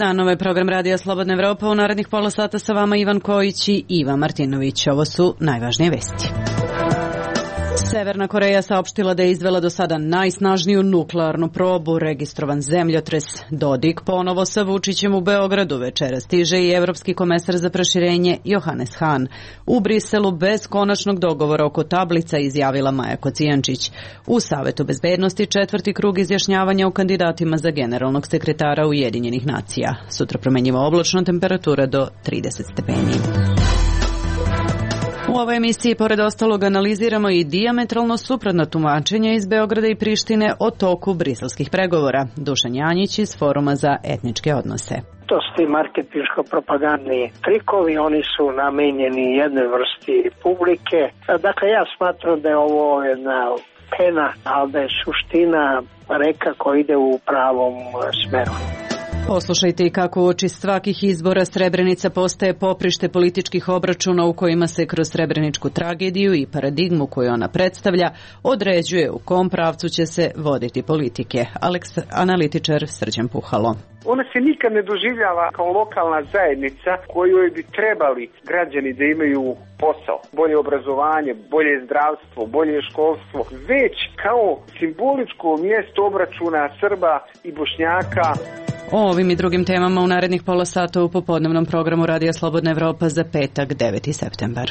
dan, ovaj program Radija Slobodna Evropa. U narednih pola sata sa vama Ivan Kojić i Iva Martinović. Ovo su najvažnije vesti. Severna Koreja saopštila da je izvela do sada najsnažniju nuklearnu probu, registrovan zemljotres. Dodik ponovo sa Vučićem u Beogradu. Večera stiže i evropski komesar za proširenje Johannes Hahn. U Briselu bez konačnog dogovora oko tablica izjavila Maja Kocijančić. U Savetu bezbednosti četvrti krug izjašnjavanja o kandidatima za generalnog sekretara Ujedinjenih nacija. Sutra promenjiva oblačno, temperatura do 30 stepeni. U ovoj emisiji, pored ostalog, analiziramo i dijametralno suprotna tumačenja iz Beograda i Prištine o toku briselskih pregovora. Dušan Janjić iz Foruma za etničke odnose. To su ti marketinško-propagandni trikovi, oni su namenjeni jednoj vrsti publike. Dakle, ja smatram da je ovo jedna pena, ali da je suština reka koja ide u pravom smeru. Poslušajte i kako uoči svakih izbora Srebrenica postaje poprište političkih obračuna u kojima se kroz srebreničku tragediju i paradigmu koju ona predstavlja određuje u kom pravcu će se voditi politike. Analitičar Srđan Puhalo. Ona se nikad ne doživljava kao lokalna zajednica kojoj bi trebali građani da imaju posao, bolje obrazovanje, bolje zdravstvo, bolje školstvo, već kao simboličko mjesto obračuna Srba i Bošnjaka. O ovim i drugim temama u narednih pola sata u popodnevnom programu Radija Slobodna Evropa za petak, 9. septembar.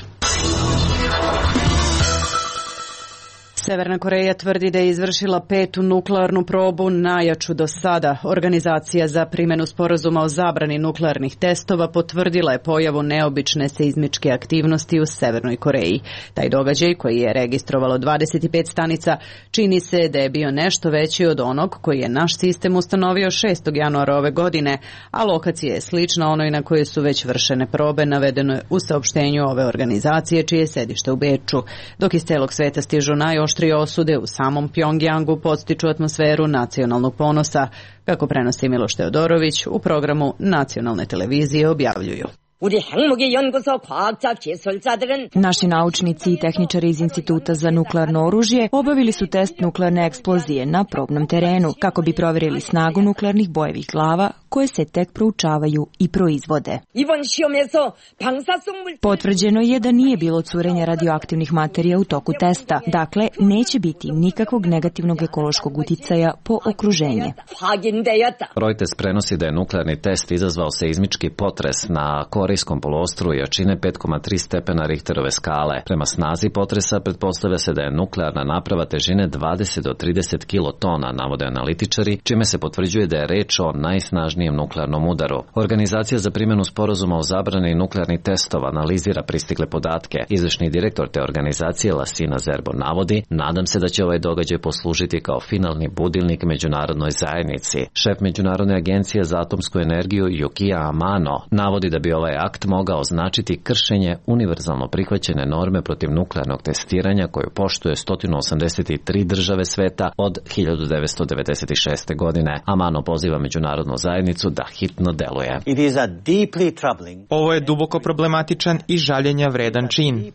Severna Koreja tvrdi da je izvršila 5. nuklearnu probu, najjaču do sada. Organizacija za primjenu sporazuma o zabrani nuklearnih testova potvrdila je pojavu neobične seizmičke aktivnosti u Severnoj Koreji. Taj događaj, koji je registrovalo 25 stanica, čini se da je bio nešto veći od onog koji je naš sistem ustanovio 6. januara ove godine, a lokacija je slična onoj na kojoj su već vršene probe, navedeno je u saopštenju ove organizacije, čije je sedište u Beču. Dok iz celog sveta stižu najoštrije osude, u samom Pjongjangu podstiču atmosferu nacionalnog ponosa, kako prenosi Miloš Teodorović u programu nacionalne televizije objavljuju. Naši naučnici i tehničari iz Instituta za nuklearno oružje obavili su test nuklearne eksplozije na probnom terenu kako bi provjerili snagu nuklearnih bojevih glava koje se tek proučavaju i proizvode. Potvrđeno je da nije bilo curenja radioaktivnih materija u toku testa, dakle neće biti nikakvog negativnog ekološkog uticaja po okruženje. Reuters prenosi da je nuklearni test izazvao seizmički potres na Korejskom poluostrvu jačine 5,3 stepena Richterove skale. Prema snazi potresa pretpostavlja se da je nuklearna naprava težine 20 do 30 kilotona, navode analitičari, čime se potvrđuje da je reč o najsnažnijem nuklearnom udaru. Organizacija za primjenu sporazuma o zabrani nuklearnih testova analizira pristigle podatke. Izvršni direktor te organizacije Lassina Zerbo navodi: nadam se da će ovaj događaj poslužiti kao finalni budilnik međunarodnoj zajednici. Šef Međunarodne agencije za atomsku energiju Yukio Amano navodi da bi ovaj akt mogao označiti kršenje univerzalno prihvaćene norme protiv nuklearnog testiranja koju poštuje 183 države sveta od 1996. godine. Amano poziva međunarodnu zajednicu da hitno deluje. Ovo je duboko problematičan i žaljenja vredan čin.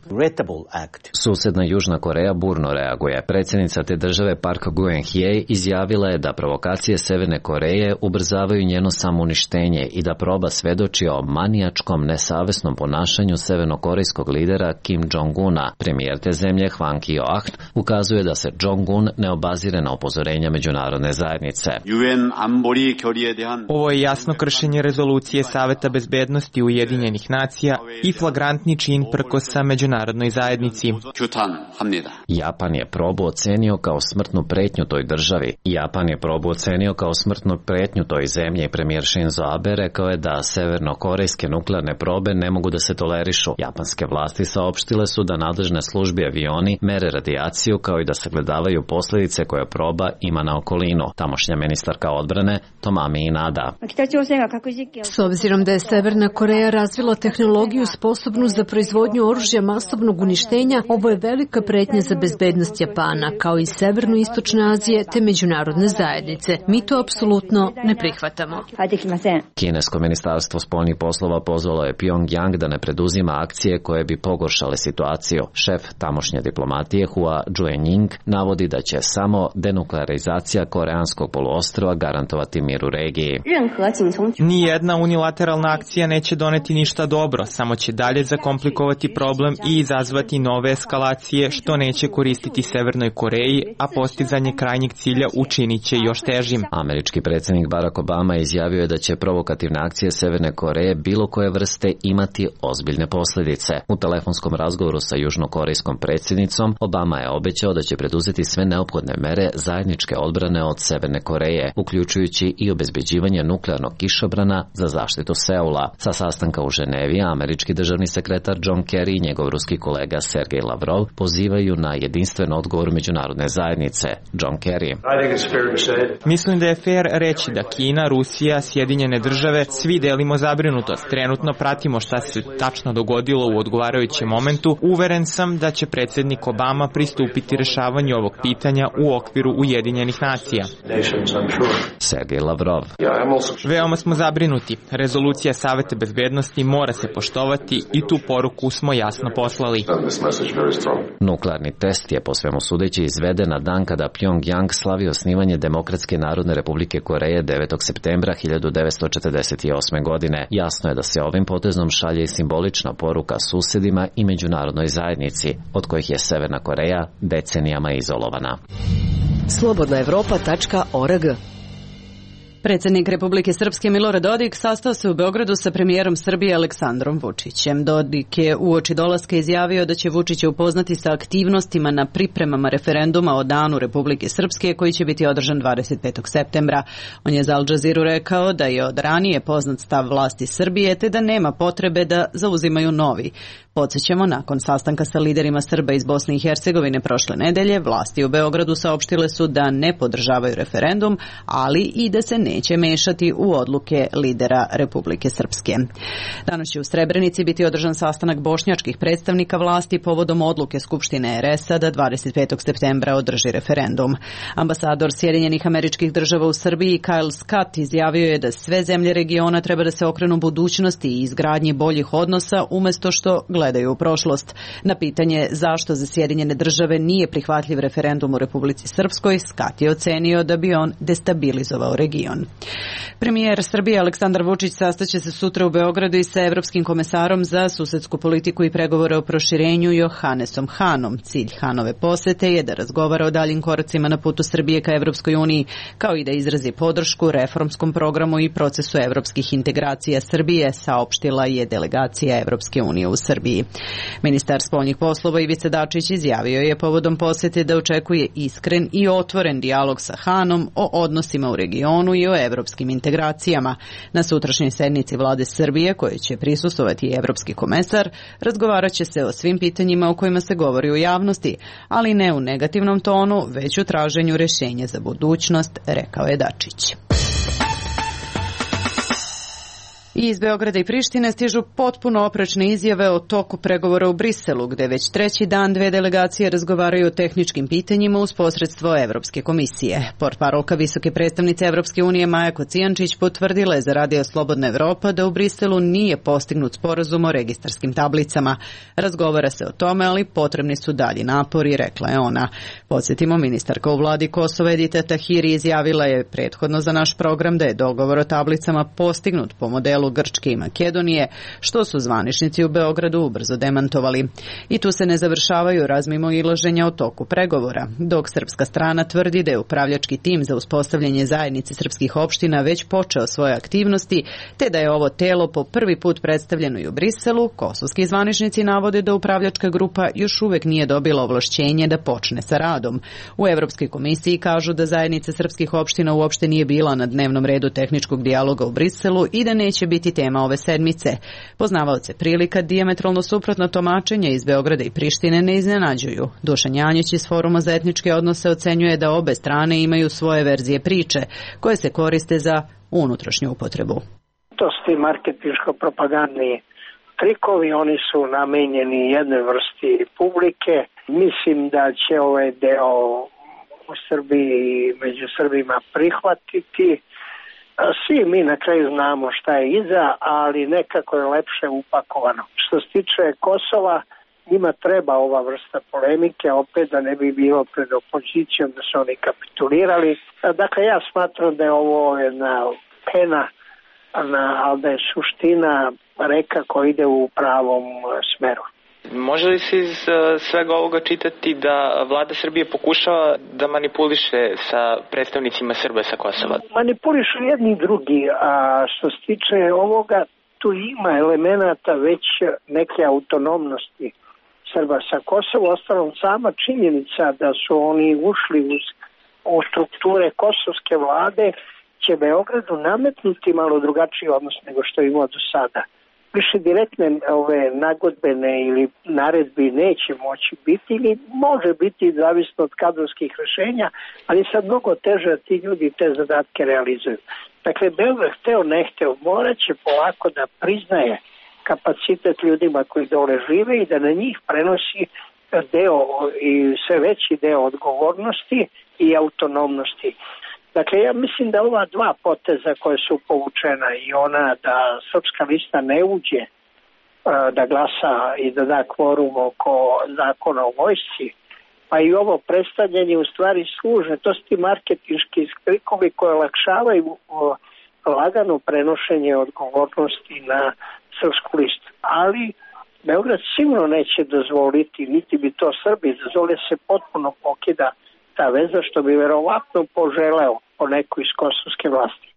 Susedna Južna Koreja burno reaguje. Predsjednica te države Park Geun-hye izjavila je da provokacije Severne Koreje ubrzavaju njeno samouništenje i da proba svedoči o manijačkom nesavesnom ponašanju severnokorejskog lidera Kim Jong-una. Premijer te zemlje Hwang Kyo-ahn ukazuje da se Jong-un ne obazire na upozorenja međunarodne zajednice. Ovo je jasno kršenje rezolucije Saveta bezbednosti Ujedinjenih nacija i flagrantni čin prkosa međunarodnoj zajednici. Japan je probu ocenio kao smrtnu pretnju toj državi. Japan je probu ocenio kao smrtnu pretnju toj zemlji i premijer Shinzo Abe rekao je da severnokorejske nuklearne probe ne mogu da se tolerišu. Japanske vlasti saopštile su da nadležne službe i avioni mere radijaciju kao i da sagledavaju posljedice koje proba ima na okolinu. Tamošnja ministarka odbrane Tomami Inada. S obzirom da je Severna Koreja razvila tehnologiju sposobnu za proizvodnju oružja masovnog uništenja, ovo je velika pretnja za bezbednost Japana, kao i Severno-istočne Azije te međunarodne zajednice. Mi to apsolutno ne prihvatamo. Kinesko ministarstvo spoljnih poslova pozvalo je Pjongjang da ne preduzima akcije koje bi pogoršale situaciju. Šef tamošnje diplomatije Hua Juenying navodi da će samo denuklearizacija koreanskog poluostrva garantovati mir u regiji. Nijedna unilateralna akcija neće doneti ništa dobro, samo će dalje zakomplikovati problem i izazvati nove eskalacije, što neće koristiti Severnoj Koreji, a postizanje krajnjeg cilja učinit će još težim. Američki predsjednik Barack Obama izjavio je da će provokativne akcije Severne Koreje bilo koje vrste imati ozbiljne posljedice. U telefonskom razgovoru sa južnokorejskom predsjednicom Obama je obećao da će preduzeti sve neophodne mere zajedničke odbrane od Severne Koreje, uključujući i obezbeđivanje nuklearnog kišobrana za zaštitu Seula. Sa sastanka u Ženevi, američki državni sekretar John Kerry i njegov ruski kolega Sergej Lavrov pozivaju na jedinstven odgovor međunarodne zajednice. John Kerry: Mislim da je fair reći da Kina, Rusija, Sjedinjene države svi delimo zabrinutost. Trenutno pratimo šta se tačno dogodilo u odgovarajućem momentu. Uveren sam da će predsjednik Obama pristupiti rešavanju ovog pitanja u okviru Ujedinjenih nacija. Sergej Lavrov: Veoma smo zabrinuti. Rezolucija Saveta bezbednosti mora se poštovati i tu poruku smo jasno poslali. Nuklearni test je po svemu sudeći izveden na dan kada Pyongyang slavi osnivanje Demokratske narodne republike Koreje 9. septembra 1948. godine. Jasno je da se ovim potezom šalje i simbolična poruka susedima i međunarodnoj zajednici, od kojih je Severna Koreja decenijama izolovana. Slobodnaevropa.org. Predsjednik Republike Srpske Milorad Dodik sastao se u Beogradu sa premijerom Srbije Aleksandrom Vučićem. Dodik je uoči dolaska izjavio da će Vučića upoznati sa aktivnostima na pripremama referenduma o Danu Republike Srpske koji će biti održan 25. septembra. On je za Al Jazeeru rekao da je od ranije poznat stav vlasti Srbije te da nema potrebe da zauzimaju novi. Podsjećamo, nakon sastanka sa liderima Srba iz Bosne i Hercegovine prošle nedelje, vlasti u Beogradu saopštile su da ne podržavaju referendum, ali i da se neće mešati u odluke lidera Republike Srpske. Danas će u Srebrenici biti održan sastanak bošnjačkih predstavnika vlasti povodom odluke Skupštine RS-a da 25. septembra održi referendum. Ambasador Sjedinjenih Američkih Država u Srbiji Kyle Scott izjavio je da sve zemlje regiona treba da se okrenu budućnosti i izgradnji boljih odnosa umjesto što gledaju u prošlost. Na pitanje zašto za Sjedinjene Države nije prihvatljiv referendum u Republici Srpskoj, Scott je ocenio da bi on destabilizovao region. Premijer Srbije Aleksandar Vučić sastaće se sutra u Beogradu i sa Evropskim komesarom za susedsku politiku i pregovore o proširenju Johannesom Hanom. Cilj Hanove posete je da razgovara o daljim koracima na putu Srbije ka Evropskoj uniji, kao i da izrazi podršku reformskom programu i procesu evropskih integracija Srbije, saopštila je delegacija Evropske unije u Srbiji. Ministar spoljnih poslova Ivica Dačić izjavio je povodom posete da očekuje iskren i otvoren dijalog sa Hanom o odnosima u regionu i o evropskim integracijama. Na sutrašnjoj sednici vlade Srbije, koje će prisustvovati i evropski komesar, razgovarat će se o svim pitanjima o kojima se govori u javnosti, ali ne u negativnom tonu, već u traženju rješenja za budućnost, rekao je Dačić. Iz Beograda i Prištine stižu potpuno oprečne izjave o toku pregovora u Briselu, gde već treći dan dve delegacije razgovaraju o tehničkim pitanjima uz posredstvo Evropske komisije. Portparolka visoke predstavnice Evropske unije Maja Kocijančić potvrdila je za Radio Slobodna Evropa da u Briselu nije postignut sporazum o registarskim tablicama. Razgovara se o tome, ali potrebni su dalji napori, rekla je ona. Podsjetimo, ministarka u vladi Kosova Edita Tahiri izjavila je prethodno za naš program da je dogovor o tablicama postignut po modelu Grčke i Makedonije, što su zvaničnici u Beogradu ubrzo demantovali. I tu se ne završavaju razmimoilaženja o toku pregovora, dok srpska strana tvrdi da je upravljački tim za uspostavljanje zajednice srpskih opština već počeo svoje aktivnosti, te da je ovo telo po prvi put predstavljeno i u Briselu. Kosovski zvaničnici navode da upravljačka grupa još uvek nije dobila ovlašćenje da počne sa radom. U Evropskoj komisiji kažu da zajednica srpskih opština uopšte nije bila na dnevnom redu tehničkog dijaloga u Briselu i da neće biti tema ove sedmice. Poznavaoce prilika dijametralno suprotno tumačenja iz Beograda i Prištine ne iznenađuju. Dušan Janjić iz Foruma za etničke odnose ocenjuje da obe strane imaju svoje verzije priče koje se koriste za unutrašnju upotrebu. To su ti marketinško-propagandni trikovi, oni su namenjeni jednoj vrsti publike. Mislim da će ovaj deo u Srbiji i među Srbima prihvatiti. Svi mi na kraju znamo šta je iza, ali nekako je lepše upakovano. Što se tiče Kosova, njima treba ova vrsta polemike, opet da ne bi bilo pred opozicijom da su oni kapitulirali. Dakle, ja smatram da je ovo jedna pena ali da je suština reka koja ide u pravom smeru. Može li se iz svega ovoga čitati da vlada Srbije pokušava da manipuliše sa predstavnicima Srba sa Kosova? Manipulišu jedni i drugi, a što se tiče ovoga, tu ima elemenata već neke autonomnosti Srba sa Kosova. Ostalom, sama činjenica da su oni ušli u strukture kosovske vlade će Beogradu nametnuti malo drugačiji odnos nego što je imao do sada. Više direktne ove nagodbene ili naredbi neće moći biti ili može biti zavisno od kadrovskih rešenja, ali sad mnogo teže da ti ljudi te zadatke realizuju. Dakle, Beograd hteo ne hteo morat će polako da priznaje kapacitet ljudima koji dole žive i da na njih prenosi deo i sve veći deo odgovornosti i autonomnosti. Dakle, ja mislim da ova dva poteza koje su povučena i ona da Srpska lista ne uđe da glasa i da da kvorum oko zakona o vojsci, pa i ovo predstavljanje u stvari služe, to su ti marketinški skrikovi koje olakšavaju lagano prenošenje odgovornosti na Srpsku listu. Ali Beograd sigurno neće dozvoliti, niti bi to Srbi dozvolili, se potpuno pokida ta veza, što bi verovatno poželeo po neko iz kosovske vlasti.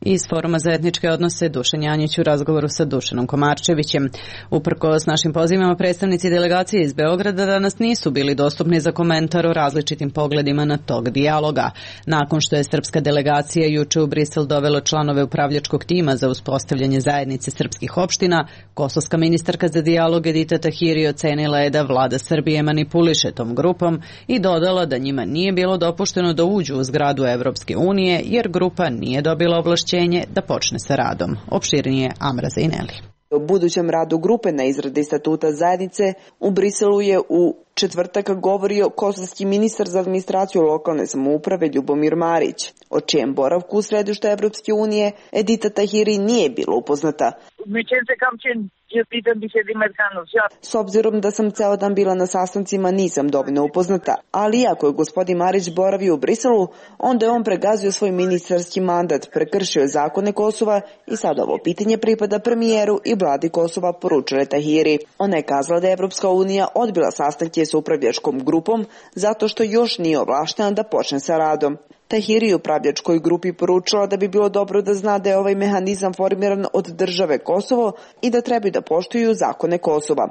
Iz Foruma za etničke odnose Dušan Janjić u razgovoru sa Dušanom Komarčevićem. Uprkos našim pozivima, predstavnici delegacije iz Beograda danas nisu bili dostupni za komentar o različitim pogledima na tog dijaloga. Nakon što je srpska delegacija juče u Brisel dovela članove upravljačkog tima za uspostavljanje zajednice srpskih opština, kosovska ministarka za dijalog Edita Tahiri ocenila je da vlada Srbije manipuliše tom grupom i dodala da njima nije bilo dopušteno da uđu u zgradu Evropske unije jer grupa nije dobila ovlašćenje da počne sa radom. Opširnije Amra Zaineli. O budućem radu grupe na izradi statuta zajednice u Briselu je u četvrtak govorio kosovski ministar za administraciju lokalne samouprave Ljubomir Marić, o čijem boravku u središtu Evropske unije Edita Tahiri nije bila upoznata. S obzirom da sam ceo dan bila na sastancima, nisam dovoljno upoznata, ali iako je gospodin Marić boravio u Briselu, onda je on pregazio svoj ministarski mandat, prekršio zakone Kosova i sad ovo pitanje pripada premijeru i vladi Kosova, poručila Tahiri. Ona je kazala da je Evropska unija odbila sastanke sa upravljačkom grupom zato što još nije ovlaštena da počne sa radom. Tahiri upravljačkoj grupi poručila da bi bilo dobro da zna da je ovaj mehanizam formiran od države Kosovo i da trebaju da poštuju zakone Kosova.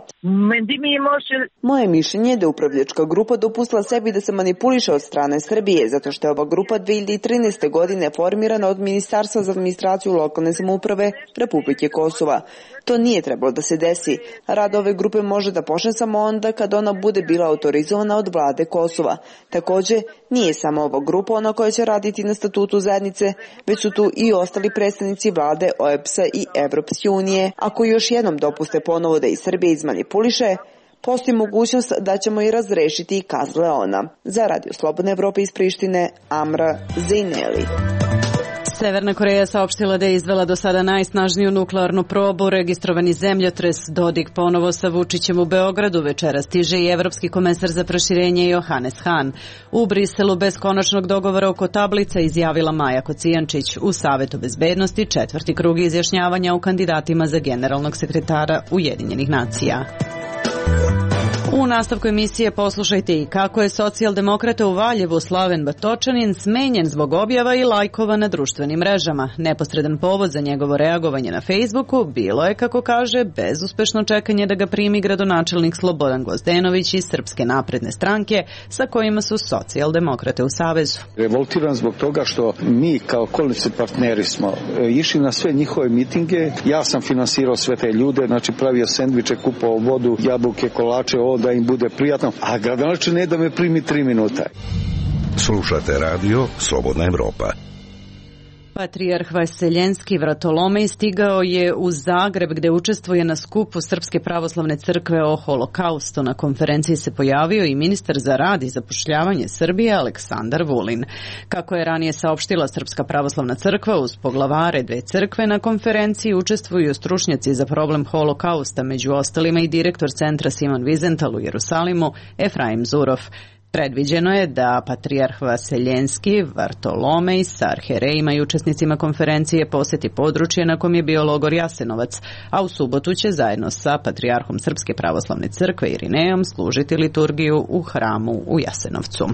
Moje mišljenje je da upravljačka grupa dopustila sebi da se manipuliše od strane Srbije, zato što je ova grupa 2013. godine formirana od Ministarstva za administraciju lokalne samouprave Republike Kosova. To nije trebalo da se desi. Rad ove grupe može da počne samo onda kad ona bude bila autorizovana od vlade Kosova. Takođe, nije samo ova grupa ona koja će raditi na statutu zajednice, već su tu i ostali predstavnici vlade OEBS-a i Evropske unije. Ako još jednom dopuste ponovo da i Srbija izmanipuliše, postoji mogućnost da ćemo i razrešiti, kazala je ona. Za Radio Slobodne Evrope iz Prištine, Amra Zaineli. Severna Koreja saopštila da je izvela do sada najsnažniju nuklearnu probu. Registrovani zemljotres Dodik ponovo sa Vučićem u Beogradu. Večera stiže i evropski komesar za proširenje Johannes Hahn. U Briselu bez konačnog dogovora oko tablica izjavila Maja Kocijančić. U Savetu bezbednosti četvrti krug izjašnjavanja o kandidatima za generalnog sekretara Ujedinjenih nacija. U nastavku emisije poslušajte i kako je socijaldemokrata u Valjevu Slaven Batočanin smenjen zbog objava i lajkova na društvenim mrežama. Neposredan povod za njegovo reagovanje na Facebooku bilo je, kako kaže, bezuspešno čekanje da ga primi gradonačelnik Slobodan Gvozdenović iz Srpske napredne stranke sa kojima su socijaldemokrate u savezu. Revoltiran zbog toga što mi kao koalicioni partneri smo išli na sve njihove mitinge. Ja sam finansirao sve te ljude, znači pravio sendviče, kupovao vodu, jabuke, kolače, da im bude prijatno, a gradonačelnik ne da me primi 3 minuta. Slušate radio Slobodna Evropa. Patrijarh Vaseljenski Vratolomej stigao je u Zagreb gde učestvuje na skupu Srpske pravoslavne crkve o holokaustu. Na konferenciji se pojavio i ministar za rad i zapošljavanje Srbije Aleksandar Vulin. Kako je ranije saopštila Srpska pravoslavna crkva, uz poglavare dve crkve na konferenciji učestvuju stručnjaci za problem holokausta, među ostalima i direktor centra Simon Wiesenthal u Jerusalimu Efraim Zurov. Predviđeno je da patrijarh Vaseljenski, Vartolomej sa arherejima i učesnicima konferencije poseti područje na kom je bio logor Jasenovac, a u subotu će zajedno sa patrijarhom Srpske pravoslavne crkve Irinejom služiti liturgiju u hramu u Jasenovcu.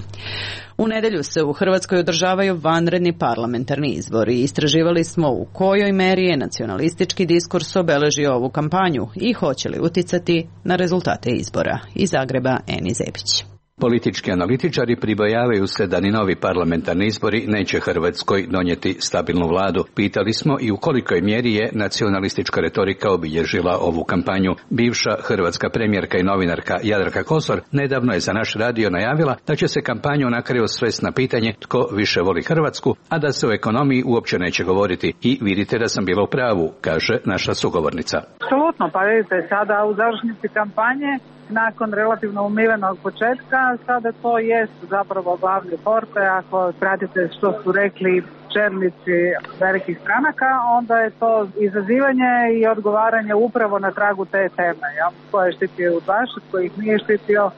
U nedelju se u Hrvatskoj održavaju vanredni parlamentarni izbori. Istraživali smo u kojoj meri je nacionalistički diskurs obeležio ovu kampanju i hoće li uticati na rezultate izbora. Iz Zagreba Eni Zebić. Politički analitičari pribojavaju se da ni novi parlamentarni izbori neće Hrvatskoj donijeti stabilnu vladu. Pitali smo i u kolikoj mjeri je nacionalistička retorika obilježila ovu kampanju. Bivša hrvatska premijerka i novinarka Jadranka Kosor nedavno je za naš radio najavila da će se kampanju na kraju svesti na pitanje tko više voli Hrvatsku, a da se o ekonomiji uopće neće govoriti. I vidite da sam bila u pravu, kaže naša sugovornica. Apsolutno, pa vidite, sada u završnici kampanje nakon relativno umivenog početka, sada to jest zapravo glavni porte. Ako pratite što su rekli čelnici velikih stranaka, onda je to izazivanje i odgovaranje upravo na tragu te teme. Ko je štitio udbaše, ko ih nije štitio,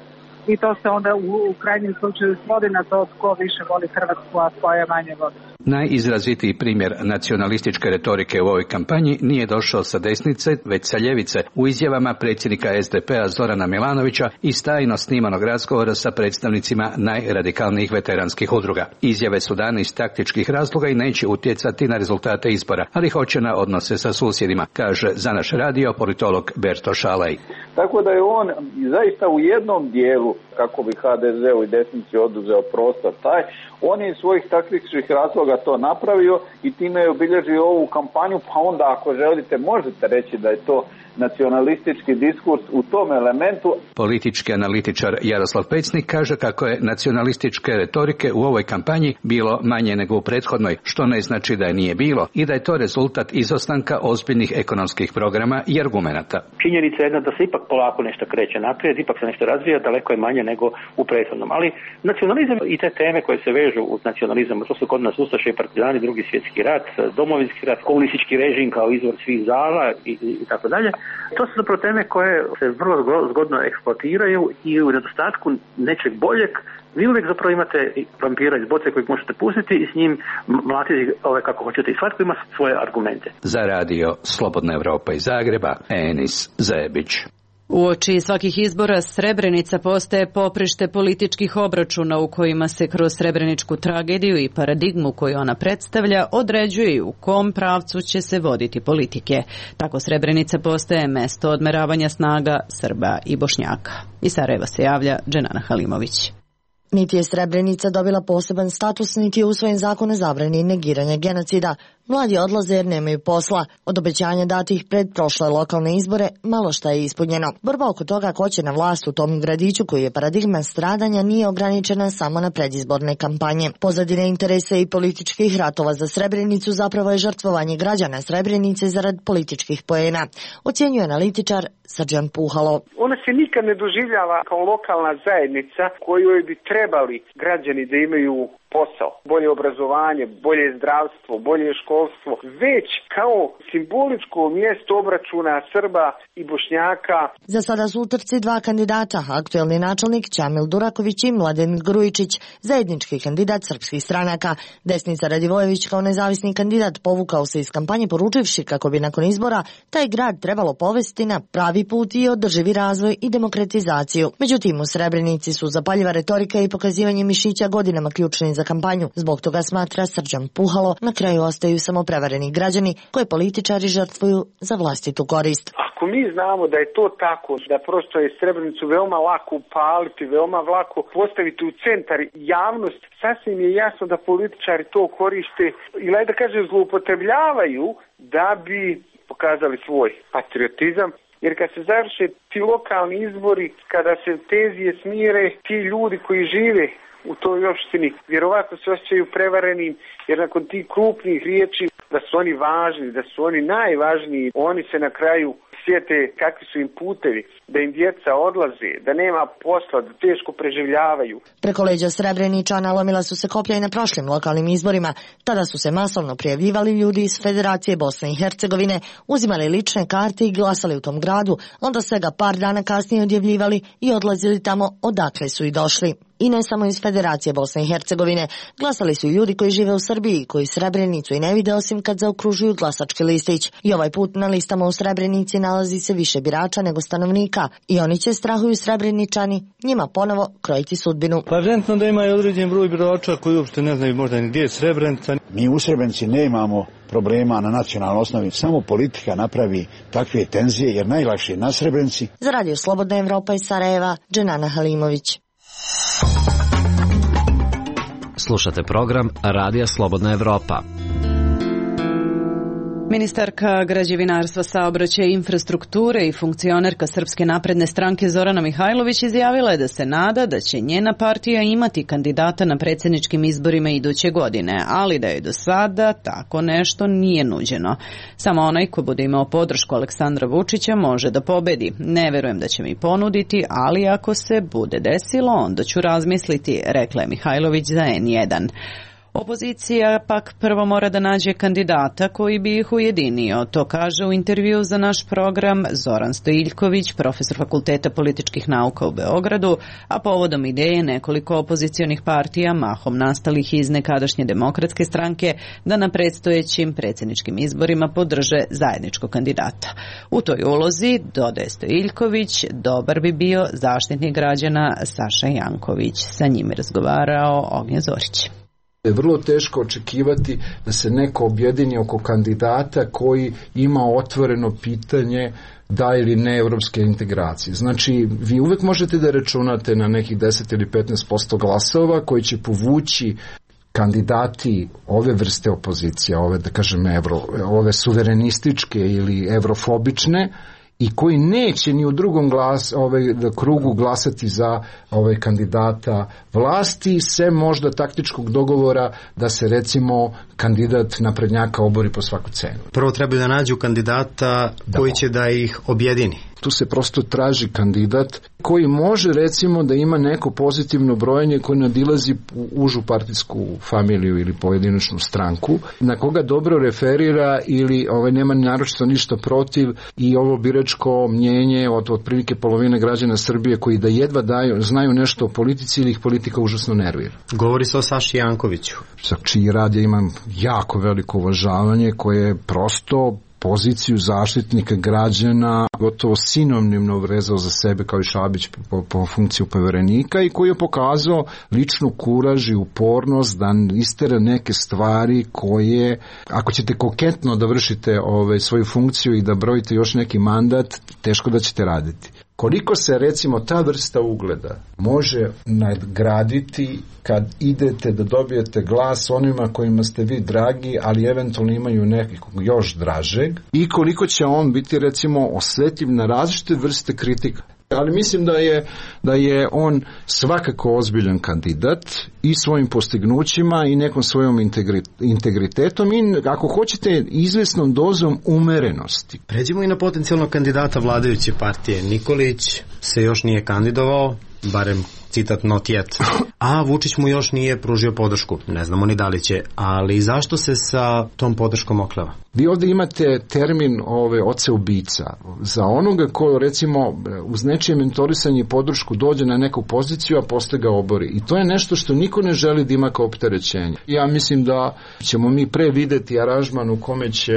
i to se onda u krajnjem slučaju svodi na to tko više voli Hrvatsku, a tko je manje voli. Najizrazitiji primjer nacionalističke retorike u ovoj kampanji nije došao sa desnice, već sa ljevice, u izjavama predsjednika SDP-a Zorana Milanovića iz tajno snimanog razgovora sa predstavnicima najradikalnijih veteranskih udruga. Izjave su dane iz taktičkih razloga i neće utjecati na rezultate izbora, ali hoće na odnose sa susjedima, kaže za naš radio politolog Berto Šalaj. Tako da je on zaista u jednom dijelu, kako bi HDZ-u i desnici oduzeo prostor taj, on je iz svojih taktičkih razloga to napravio i time je obilježio ovu kampanju, pa onda ako želite možete reći da je to nacionalistički diskurs u tom elementu. Politički analitičar Jaroslav Pecnik kaže kako je nacionalističke retorike u ovoj kampanji bilo manje nego u prethodnoj, što ne znači da je nije bilo i da je to rezultat izostanka ozbiljnih ekonomskih programa i argumenata. Činjenica je jedna da se ipak polako nešto kreće naprijed, ipak se nešto razvija, daleko je manje nego u prethodnom. Ali nacionalizam i te teme koje se vežu uz nacionalizam, to su kod nas ustaše i partizani, Drugi svjetski rat, domovinski rat, komunistički režim kao izvor svih zala i tako dalje. To su zapravo teme koje se vrlo zgodno eksploatiraju i u nedostatku nečeg boljeg vi uvijek zapravo imate vampira iz boce kojeg možete pustiti i s njim mlatiti kako hoćete i svatko ima svoje argumente. Za radio Slobodna Evropa iz Zagreba, Enis Zebić. Uoči svakih izbora Srebrenica postaje poprište političkih obračuna u kojima se kroz srebreničku tragediju i paradigmu koju ona predstavlja određuje i u kom pravcu će se voditi politike. Tako Srebrenica postaje mesto odmeravanja snaga Srba i Bošnjaka. Iz Sarajeva se javlja Dženana Halimović. Niti je Srebrenica dobila poseban status, niti je usvojen zakon o zabrani negiranja genocida. Mladi odlaze jer nemaju posla. Od obećanja datih pred prošle lokalne izbore malo šta je ispunjeno. Borba oko toga ko će na vlast u tom gradiću koji je paradigma stradanja nije ograničena samo na predizborne kampanje. Pozadine interesa i političkih ratova za Srebrenicu zapravo je žrtvovanje građana Srebrenice zarad političkih poena, ocjenjuje analitičar Srđan Puhalo. Ona se nikad ne doživljava kao lokalna zajednica kojoj bi trebali građani da imaju posao, bolje obrazovanje, bolje zdravstvo, bolje školstvo, već kao simboličko mjesto obračuna Srba i Bošnjaka. Za sada su u trci dva kandidata, aktuelni načelnik Čamil Duraković i Mladen Grujičić, zajednički kandidat srpskih stranaka. Desnica Radivojević kao nezavisni kandidat povukao se iz kampanje poručivši kako bi nakon izbora taj grad trebalo povesti na pravi put i održivi razvoj i demokratizaciju. Međutim, u Srebrenici su zapaljiva retorika i pokazivanje mišića godinama ključni za kampanju. Zbog toga, smatra Srđan Puhalo, na kraju ostaju samo prevareni građani koje političari žrtvuju za vlastitu korist. Ako mi znamo da je to tako, da prosto je Srebrenicu veoma lako upaliti, veoma lako postaviti u centar javnost, sasvim je jasno da političari to koriste ili da kažem zloupotrebljavaju da bi pokazali svoj patriotizam. Jer kad se završe ti lokalni izbori, kada se tenzije smire, ti ljudi koji žive u toj opštini vjerovatno se osjećaju prevarenim, jer nakon tih krupnih riječi da su oni važni, da su oni najvažniji, oni se na kraju sjete kakvi su im putevi, da im djeca odlaze, da nema posla, da teško preživljavaju. Preko leđa Srebreničana lomila su se koplja i na prošlim lokalnim izborima. Tada su se masovno prijavljivali ljudi iz Federacije Bosne i Hercegovine, uzimali lične karte i glasali u tom gradu, onda svega par dana kasnije odjavljivali i odlazili tamo odakle su i došli. I ne samo iz Federacije Bosne i Hercegovine. Glasali su i ljudi koji žive u Srbiji, koji Srebrenicu i ne vide osim kad zaokružuju glasački listić. I ovaj put na listama u Srebrenici nalazi se više birača nego stanovnika. I oni će, strahuju Srebreničani, njima ponovo krojiti sudbinu. Pa evidentno da ima i određen broj birača koji uopšte ne znaju možda ni gdje je Srebrenica. Mi u Srebrenici nemamo problema na nacionalnoj osnovi, samo politika napravi takve tenzije jer najlakše je na Srebrenici. Za Radio Slobodna Evropa iz Sarajeva, Dženana Halimović. Slušate program Radija Slobodna Evropa. Ministarka građevinarstva, saobraćaja i infrastrukture i funkcionerka Srpske napredne stranke Zorana Mihajlović izjavila je da se nada da će njena partija imati kandidata na predsjedničkim izborima iduće godine, ali da je do sada tako nešto nije nuđeno. Samo onaj ko bude imao podršku Aleksandra Vučića može da pobedi. Ne verujem da će mi ponuditi, ali ako se bude desilo, onda ću razmisliti, rekla je Mihajlović za N1. Opozicija pak prvo mora da nađe kandidata koji bi ih ujedinio. To kaže u intervju za naš program Zoran Stojiljković, profesor Fakulteta političkih nauka u Beogradu, a povodom ideje nekoliko opozicionih partija, mahom nastalih iz nekadašnje Demokratske stranke, da na predstojećim predsjedničkim izborima podrže zajedničkog kandidata. U toj ulozi, dodaje Stojiljković, dobar bi bio zaštitnik građana Saša Janković. Sa njim je razgovarao Ognjen Zorić. Je vrlo teško očekivati da se neko objedini oko kandidata koji ima otvoreno pitanje da ili ne evropske integracije. Znači, vi uvek možete da računate na nekih 10 ili 15% glasova koji će povući kandidati ove vrste opozicije, ove, da kažem, ove suverenističke ili evrofobične, i koji neće ni u drugom krugu glasati za kandidata vlasti, sem možda taktičkog dogovora da se recimo kandidat naprednjaka obori po svaku cenu. Prvo treba da nađu kandidata koji će da ih objedini. Tu se prosto traži kandidat koji može recimo da ima neko pozitivno brojenje koje nadilazi užu partijsku familiju ili pojedinačnu stranku, na koga dobro referira ili nema naročito ništa protiv i ovo biračko mnjenje od otprilike polovine građana Srbije koji da jedva znaju nešto o politici ili ih politika užasno nervira. Govori se o Saši Jankoviću. Za čiji rad ja imam jako veliko uvažavanje, koje je prosto poziciju zaštitnika građana gotovo sinonimno vezao za sebe kao i Šabić po funkciju poverenika i koji je pokazao ličnu kuraž i upornost da istera neke stvari koje, ako ćete koketno da vršite svoju funkciju i da brojite još neki mandat, teško da ćete raditi. Koliko se recimo ta vrsta ugleda može nadgraditi kad idete da dobijete glas onima kojima ste vi dragi, ali eventualno imaju nekog još dražeg, i koliko će on biti recimo osjetljiv na različite vrste kritika. Ali mislim da je on svakako ozbiljan kandidat i svojim postignućima i nekom svojom integritetom i, ako hoćete, izvesnom dozom umerenosti. Pređimo i na potencijalnog kandidata vladajuće partije. Nikolić se još nije kandidovao, barem citat not yet. A Vučić mu još nije pružio podršku. Ne znamo ni da li će, ali zašto se sa tom podrškom okleva? Vi ovdje imate termin oca ubica. Za onoga ko recimo uz nečije mentorisanje i podršku dođe na neku poziciju, a posle ga obori. I to je nešto što niko ne želi da ima kao opterećenje. Ja mislim da ćemo mi pre videti aranžman u kome će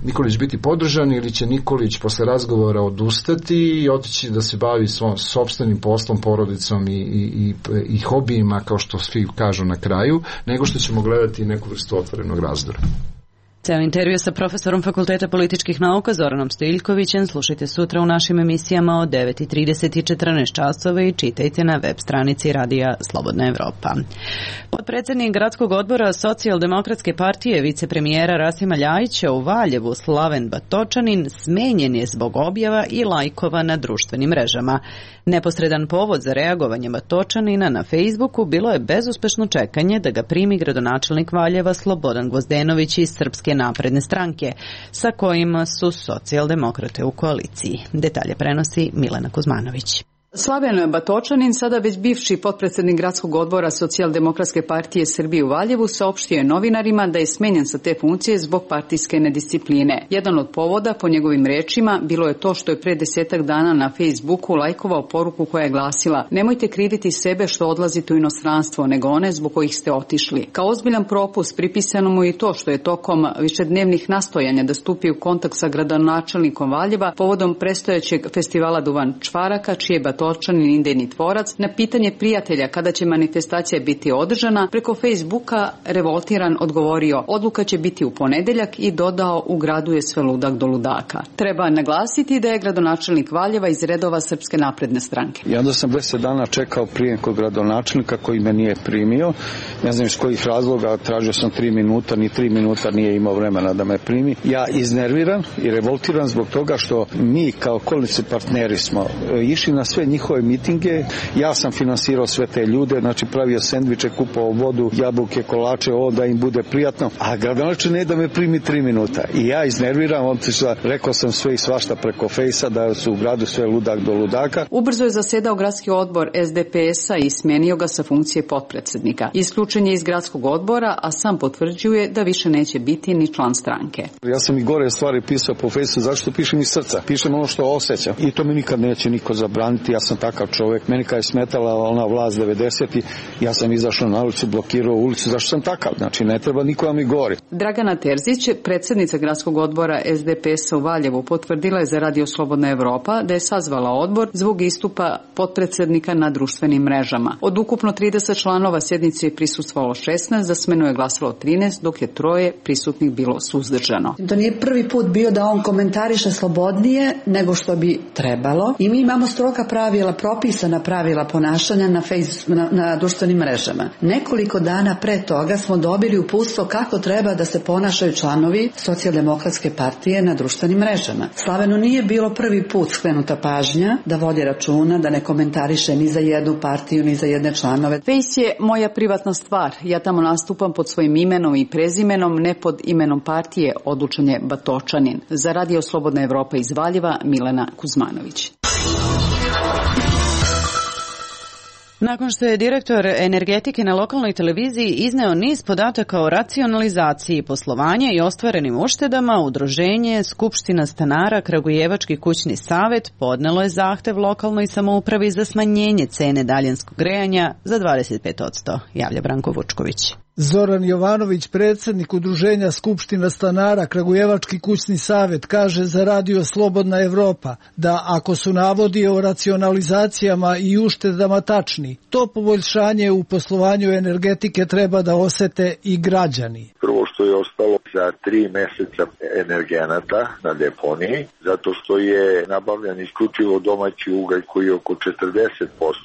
Nikolić biti podržan ili će Nikolić posle razgovora odustati i otići da se bavi sopstvenim poslom, porodicom i hobijima, kao što svi kažu na kraju, nego što ćemo gledati neku vrstu otvorenog razdora. Ceo intervju sa profesorom Fakulteta političkih nauka Zoranom Stojiljkovićem slušajte sutra u našim emisijama od 9:30 i 14 časova i čitajte na web stranici Radija Slobodna Evropa. Potpredsednik gradskog odbora Socijaldemokratske partije vicepremijera Rasima Ljajića u Valjevu Slaven Batočanin smenjen je zbog objava i lajkova na društvenim mrežama. Neposredan povod za reagovanje Batočanina na Facebooku bilo je bezuspešno čekanje da ga primi gradonačelnik Valjeva Slobodan Gvozdenović iz Srpske napredne stranke, sa kojima su socijaldemokrate u koaliciji. Detalje prenosi Milena Kuzmanović. Slaven Batočanin, sada već bivši potpredsednik gradskog odbora Socijaldemokratske partije Srbije u Valjevu, saopštio je novinarima da je smenjen sa te funkcije zbog partijske nediscipline. Jedan od povoda, po njegovim rečima, bilo je to što je pre 10 dana na Facebooku lajkovao poruku koja je glasila: nemojte kriviti sebe što odlazite u inostranstvo, nego one zbog kojih ste otišli. Kao ozbiljan propust pripisano mu i to što je tokom višednevnih nastojanja da stupi u kontakt sa gradonačelnikom Valjeva povodom prestojećeg festivala Duvan Čvaraka, čiji je Batočanin idejni tvorac, na pitanje prijatelja kada će manifestacija biti održana, preko Facebooka revoltiran odgovorio: odluka će biti u ponedeljak, i dodao: u gradu je sve ludak do ludaka. Treba naglasiti da je gradonačelnik Valjeva iz redova Srpske napredne stranke. I onda sam 10 dana čekao prijem kod gradonačelnika koji me nije primio. Ne znam iz kojih razloga, tražio sam 3 minuta, ni 3 minuta nije imao vremena da me primi. Ja iznerviran i revoltiran zbog toga što mi kao koalicioni partneri smo išli na sve njihove mitinge. Ja sam finansirao sve te ljude, znači pravio sendviče, kupovao vodu, jabuke, kolače, da im bude prijatno. A gradonačelnik ne da me primi 3 minuta. I ja iznerviram, rekao sam sve i svašta preko fejsa da su u gradu sve ludak do ludaka. Ubrzo je zasedao gradski odbor SDP-a i smenio ga sa funkcije potpredsednika. Isključen je iz gradskog odbora, a sam potvrđuje da više neće biti ni član stranke. Ja sam i gore stvari pisao po fejsu, zašto pišem iz srca? Pišem ono što osjećam. I to mi nikad neće niko zabraniti. Ja sam takav čovjek. Meni kad je smetala ona vlast 90-ih, ja sam izašao na ulicu, blokirao ulicu, zašto sam takav? Znači ne treba niko da mi govori. Dragana Terzić, predsjednica gradskog odbora SDP-a u Valjevu, potvrdila je za Radio Slobodna Evropa da je sazvala odbor zbog istupa potpredsednika na društvenim mrežama. Od ukupno 30 članova sjednice je prisustvovalo 16, za smenu je glasalo 13, dok je 3 prisutnih bilo suzdržano. To nije prvi put bio da on komentariše slobodnije nego što bi trebalo, i mi imamo stroga pravila, propisana pravila ponašanja na društvenim mrežama. Nekoliko dana pre toga smo dobili uputstvo kako treba da se ponašaju članovi Socijaldemokratske partije na društvenim mrežama. Slavenu nije bilo prvi put skrenuta pažnja da vodi računa, da ne komentariše ni za jednu partiju, ni za jedne članove. Face je moja privatna stvar. Ja tamo nastupam pod svojim imenom i prezimenom, ne pod imenom partije, odlučen je Batočanin. Za Radio Slobodna Evropa iz Valjeva, Milena Kuzmanović. Nakon što je direktor energetike na lokalnoj televiziji izneo niz podataka o racionalizaciji poslovanja i ostvarenim uštedama, udruženje Skupština stanara Kragujevački kućni savet podnelo je zahtev lokalnoj samoupravi za smanjenje cene daljinskog grejanja za 25%, javlja Branko Vučković. Zoran Jovanović, predsjednik udruženja Skupština stanara Kragujevački kućni savet, kaže za Radio Slobodna Evropa da ako su navodi o racionalizacijama i uštedama tačni, to poboljšanje u poslovanju energetike treba da osete i građani. Prvo što je ostalo za 3 meseca energenata na deponiji, zato što je nabavljan isključivo domaći ugalj koji je oko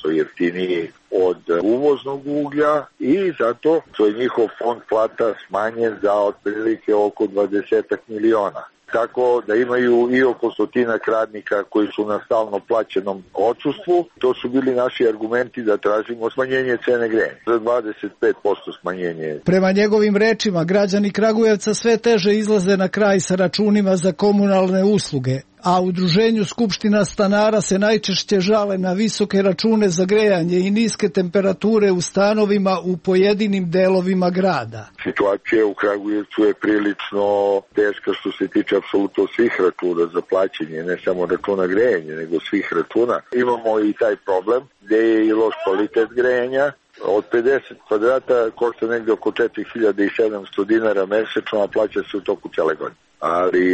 40% jeftiniji od uvoznog uglja, i zato što je njihov fond plata smanjen za otprilike oko 20 miliona. Tako da imaju i oko 100 radnika koji su na stalno plaćenom odsustvu. To su bili naši argumenti da tražimo smanjenje cene grejanja za 25% smanjenje. Prema njegovim rečima, građani Kragujevca sve teže izlaze na kraj sa računima za komunalne usluge, a udruženju Skupština stanara se najčešće žale na visoke račune za grejanje i niske temperature u stanovima u pojedinim delovima grada. Situacija u Kragujevcu je prilično teška što se tiče apsolutno svih računa za plaćanje, ne samo računa grejanja, nego svih računa. Imamo i taj problem gde je i loš kvalitet grejanja. Od 50 kvadrata košta negde oko 4700 dinara mesečno, a plaća se u toku cele godine. Ali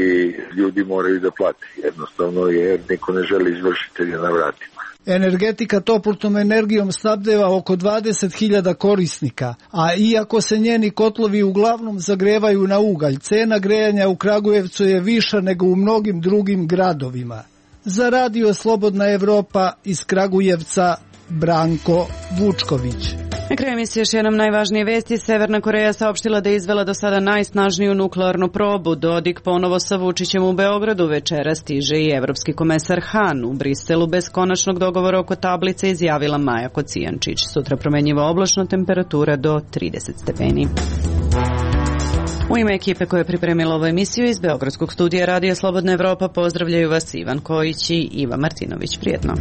ljudi moraju da plate, jednostavno, jer niko ne želi izvršitelja na vratima. Energetika toplotnom energijom snabdeva oko 20.000 korisnika, a iako se njeni kotlovi uglavnom zagrevaju na ugalj, cena grejanja u Kragujevcu je viša nego u mnogim drugim gradovima. Za Radio Slobodna Evropa iz Kragujevca, Branko Vučković. Na kraju emisije još jednom najvažnije vesti. Severna Koreja saopštila da je izvela do sada najsnažniju nuklearnu probu. Dodik ponovo sa Vučićem u Beogradu. Večera stiže i evropski komesar Han. U Briselu bez konačnog dogovora oko tablice izjavila Maja Kocijančić. Sutra promenjiva oblačno, temperatura do 30 stepeni. U ime ekipe koja je pripremila ovu emisiju iz Beogradskog studija Radio Slobodna Evropa pozdravljaju vas Ivan Kojić i Iva Martinović. Prijetno.